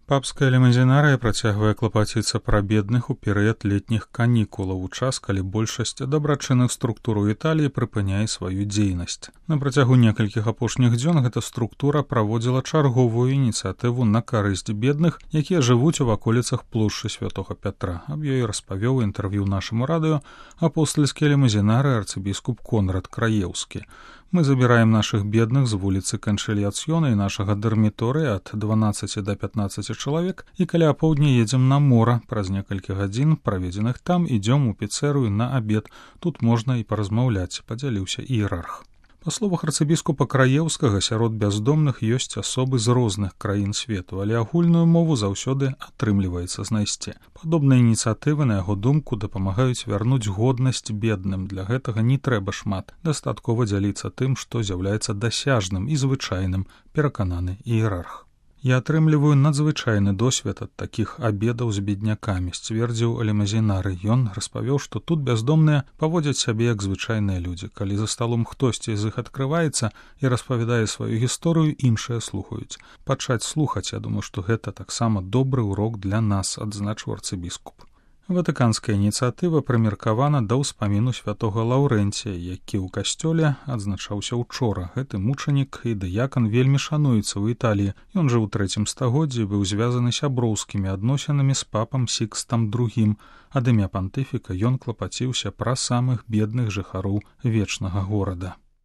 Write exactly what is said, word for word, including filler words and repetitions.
Папская лімузінарыя працягвае клапаціцца пра бедных у перыяд летніх канікулаў, у час, калі большасць дабрачынных структур у Італіі прыпыняе сваю дзейнасць. На працягу некалькіх апошніх дзён гэта структура праводзіла чарговую ініцыятыву на карысць бедных, якія жывуць у ваколіцах плошчы Святога Пятра. Аб ёй распавёў у інтэрв'ю нашаму радыё апостальскі лімузінары арцыбіскуп Конрад Краеўскі. Мы забіраем нашых бедных з вуліцы Канчэльяцыёна і нашага дарміторыя ад дванаццаці да пятнаццаці чалавек і каля апоўдня едзем на мора. Праз некалькі гадзін, праведзеных там, ідзём у піцэрыю на абед. Тут можна і паразмаўляць, падзяліўся іерарх. Па словах арцыбіскупа Краеўскага, сярод бяздомных ёсць асобы з розных краін свету, але агульную мову заўсёды атрымліваецца знайсці. Падобныя ініцыятывы, на яго думку, дапамагаюць вярнуць годнасць бедным. Для гэтага не трэба шмат. Дастаткова дзяліцца тым, што з'яўляецца дасяжным і звычайным, перакананы іерарх. Я атрымліваю надзвычайны досвед ад такіх абедаў з беднякамі, сцвердзіў лімузінары. Ён распавёў, што тут бяздомныя паводзяць сябе як звычайныя людзі. Калі за сталом хтосьці з іх адкрываецца і распавядае сваю гісторыю, іншыя слухаюць. Пачаць слухаць, я думаю, што гэта таксама добры урок для нас, адзначыў арцыбіскуп. Ватыканская ініцыятыва прымеркавана да ўспаміну святога Лаўрэнція, які ў касцёле адзначаўся ўчора. Гэты мучанік і дыякан вельмі шануецца ў Італіі. Ён жыў у трэцім стагоддзі, быў звязаны сяброўскімі адносінамі з папам Сікстам другім. Ад імя пантыфіка ён клапаціўся пра самых бедных жыхароў вечнага горада.